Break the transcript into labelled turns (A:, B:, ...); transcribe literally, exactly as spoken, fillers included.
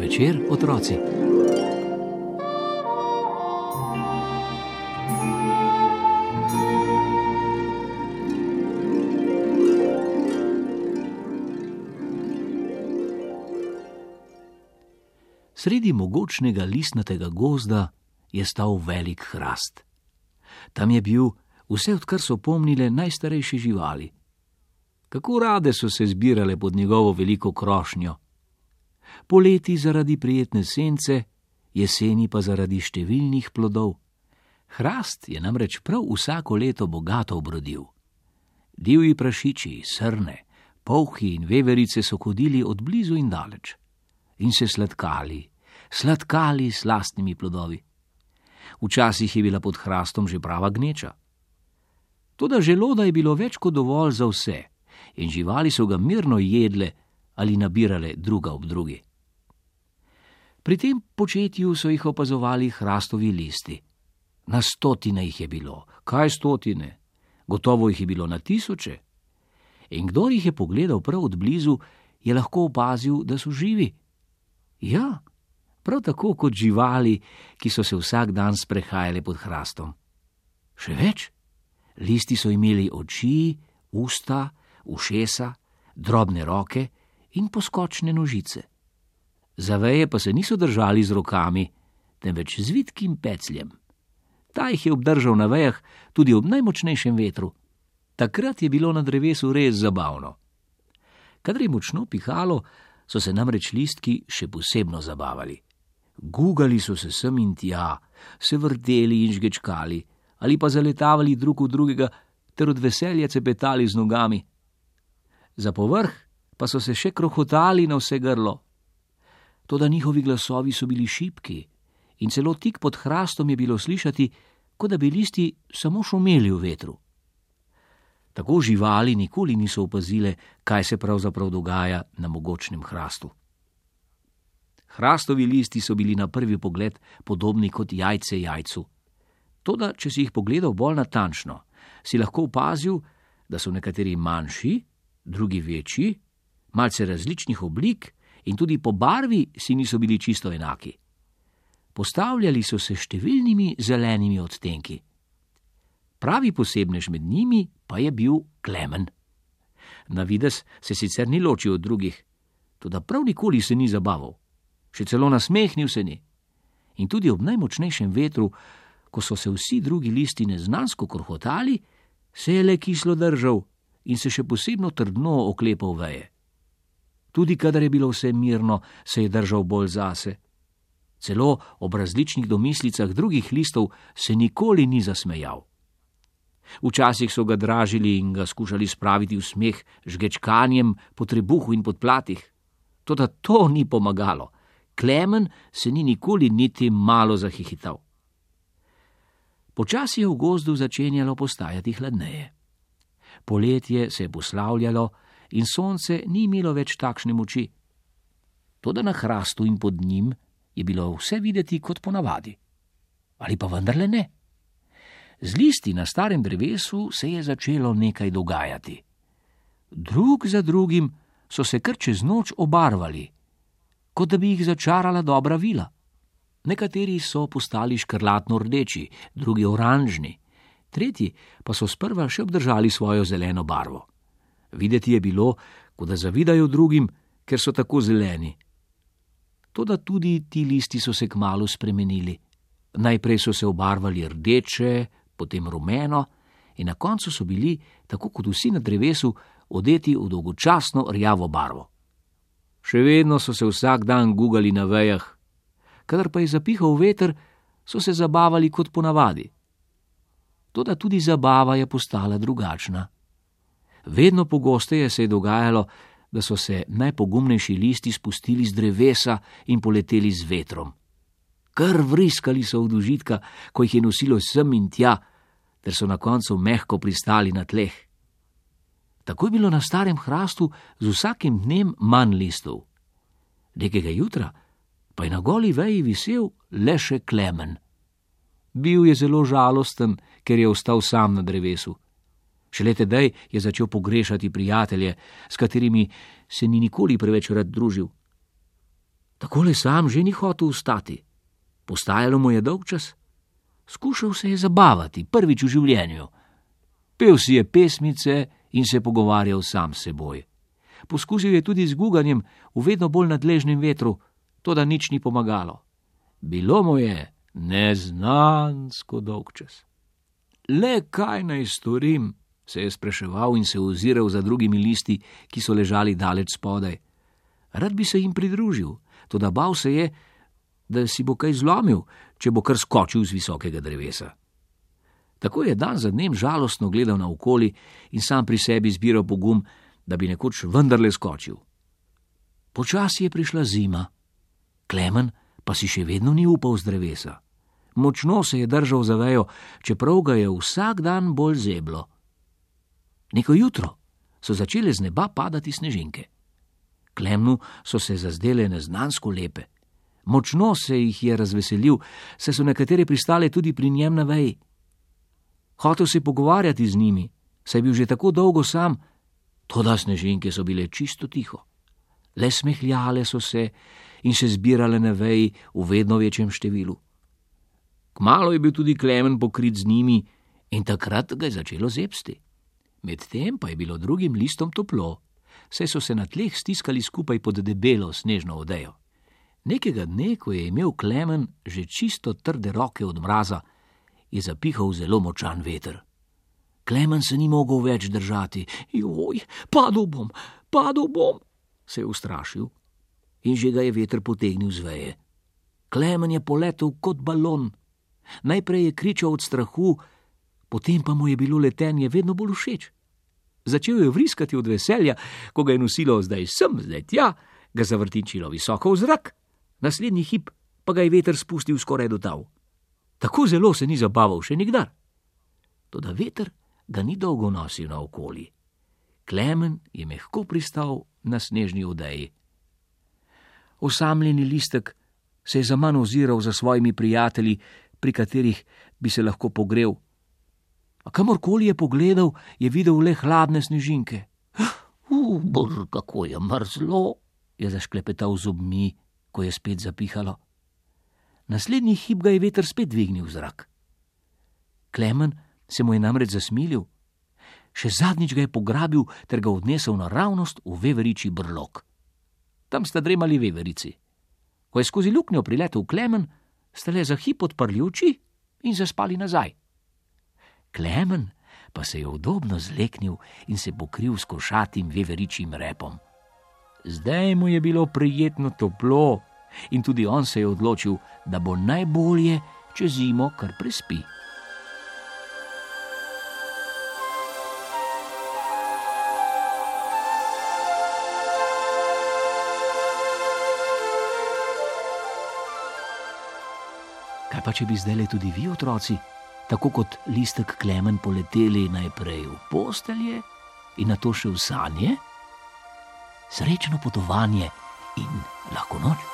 A: večer, otroci. Sredi mogočnega listnatega gozda je stal velik hrast. Tam je bil vse, odkar so pomnile najstarejše živali. Kako rade so se zbirale pod njegovo veliko krošnjo. Poleti zaradi prijetne sence, jeseni pa zaradi številnih plodov. Hrast je namreč prav vsako leto bogato obrodil. Divji prašiči, srne, polhi in veverice so hodili od blizu in daleč in se sladkali, sladkali s lastnimi plodovi. Včasih je bila pod hrastom že prava gneča. Toda želoda je bilo več kot dovolj za vse in živali so ga mirno jedle ali nabirale druga ob drugi. Pri tem početju so jih opazovali hrastovi listi. Na stotine jih je bilo. Kaj stotine? Gotovo jih je bilo na tisoče. In kdor jih je pogledal prav od blizu, je lahko opazil, da so živi. Ja, prav tako kot živali, ki so se vsak dan sprehajale pod hrastom. Še več, listi so imeli oči, usta, ušesa, drobne roke in poskočne nožice. Za veje pa se niso držali z rokami, temveč z vitkim pecljem. Ta jih je obdržal na vejah tudi ob najmočnejšem vetru. Takrat je bilo na drevesu res zabavno. Kadar je močno pihalo, so se namreč listki še posebno zabavali. Gugali so se sem in tja, se vrteli in žgečkali, ali pa zaletavali drug v drugega ter od veselja cepetali z nogami. Za povrh pa so se še krohotali na vse grlo. Toda njihovi glasovi so bili šibki in celo tik pod hrastom je bilo slišati, kot da bi listi samo šumeli v vetru. Tako živali nikoli niso opazile, kaj se pravzaprav dogaja na mogočnem hrastu. Hrastovi listi so bili na prvi pogled podobni kot jajce jajcu. Toda, če si jih pogledal bolj natančno, si lahko opazil, da so nekateri manjši, drugi večji, malce različnih oblik in tudi po barvi si niso bili čisto enaki. Postavljali so se številnimi zelenimi odtenki. Pravi posebnež med njimi pa je bil Klemen. Na videz se sicer ni ločil od drugih, toda prav nikoli se ni zabaval. Še celo nasmehnil se ni. In tudi ob najmočnejšem vetru, ko so se vsi drugi listi neznansko krohotali, se je le kislo držal in se še posebno trdno oklepal veje. Tudi kadar je bilo vse mirno, se je držal bolj zase. Celo ob različnih domislicah drugih listov se nikoli ni zasmejal. Včasih so ga dražili in ga skušali spraviti v smeh žgečkanjem po trebuhu in podplatih. Toda to ni pomagalo. Klemen se ni nikoli niti malo zahihital. Počasi je v gozdu začenjalo postajati hladneje. Poletje se je poslavljalo in sonce ni imelo več takšne moči. Toda na hrastu in pod njim je bilo vse videti kot ponavadi. Ali pa vendarle ne? Z listi na starem drevesu se je začelo nekaj dogajati. Drug za drugim so se kar čez noč obarvali, kot da bi jih začarala dobra vila. Nekateri so postali škrlatno rdeči, drugi oranžni, tretji pa so sprva še obdržali svojo zeleno barvo. Videti je bilo, kot da zavidajo drugim, ker so tako zeleni. Toda tudi ti listi so se kmalu spremenili. Najprej so se obarvali rdeče, potem rumeno in na koncu so bili, tako kot vsi na drevesu, odeti v dolgočasno rjavo barvo. Še vedno so se vsak dan gugali na vejah, kadar pa je zapihal veter, so se zabavali kot ponavadi. Toda tudi zabava je postala drugačna. Vedno pogosteje se je dogajalo, da so se najpogumnejši listi spustili z drevesa in poleteli z vetrom. Kar vriskali so od užitka, ko jih je nosilo sem in tja, ter so na koncu mehko pristali na tleh. Tako je bilo na starem hrastu z vsakim dnem manj listov. Nekega jutra pa je na goli veji visel le še Klemen. Bil je zelo žalosten, ker je ostal sam na drevesu. Šele tedaj je začel pogrešati prijatelje, s katerimi se ni nikoli preveč rad družil. Takole sam že ni hotel vstati. Postajalo mu je dolgčas. Skušal se je zabavati, prvič v življenju. Pel si je pesmice in se pogovarjal sam s seboj. Poskusil je tudi z guganjem v vedno bolj nadležnem vetru, toda nič ni pomagalo. Bilo mu je neznansko dolgčas. Le kaj naj storim, se je spraševal in se oziral za drugimi listi, ki so ležali daleč spodaj. Rad bi se jim pridružil, toda bal se je, da si bo kaj zlomil, če bo kar skočil z visokega drevesa. Tako je dan za dnem žalostno gledal naokoli in sam pri sebi zbiral pogum, da bi nekoč vendarle skočil. Počasi je prišla zima. Klemen pa si še vedno ni upal z drevesa. Močno se je držal za vejo, čeprav ga je vsak dan bolj zeblo. Neko jutro so začele z neba padati snežinke. Klemnu so se zazdele neznansko lepe. Močno se jih je razveselil, saj so nekatere pristale tudi pri njem na veji. Hotel se pogovarjati z njimi, saj je bil že tako dolgo sam, toda snežinke so bile čisto tiho. Le smehljale so se in se zbirale na veji v vedno večjem številu. Kmalu je bil tudi Klemen pokrit z njimi in takrat ga je začelo zebsti. Medtem pa je bilo drugim listom toplo, saj so se na tleh stiskali skupaj pod debelo snežno odejo. Nekega dne, ko je imel Klemen že čisto trde roke od mraza, je zapihal zelo močan veter. Klemen se ni mogel več držati. Joj, padel bom, padel bom, se je ustrašil in že ga je veter potegnil z veje. Klemen je poletel kot balon. Najprej je kričal od strahu, potem pa mu je bilo letenje vedno bolj všeč. Začel je vriskati od veselja, ko ga je nosilo zdaj sem, zdaj tja, ga zavrtinčilo visoko v zrak, naslednji hip pa ga je veter spustil skoraj do tal. Tako zelo se ni zabaval še nikdar. Toda veter ga ni dolgo nosil naokoli. Klemen je mehko pristal na snežni odeji. Osamljeni listek se je zaman oziral za svojimi prijatelji, pri katerih bi se lahko pogrel. A kamorkoli je pogledal, je videl le hladne snežinke. Uh, brr, kako je mrzlo, je zašklepetal zobmi, ko je spet zapihalo. Naslednji hip ga je veter spet dvignil v zrak. Klemen se mu je namreč zasmilil. Še zadnjič ga je pograbil ter ga odnesel naravnost v veveričji brlog. Tam sta dremali veverici. Ko je skozi luknjo priletel Klemen, sta le za hip odprli oči in zaspali nazaj. Klemen pa se je udobno zleknil in se pokril s košatim veveričjim repom. Zdaj mu je bilo prijetno toplo in tudi on se je odločil, da bo najbolje, če zimo kar prespi. Kaj pa, če bi zdajle tudi vi, otroci, tako kot listek Klemen, poleteli najprej v postelje in nato še v sanje? Srečno potovanje in lahko noč.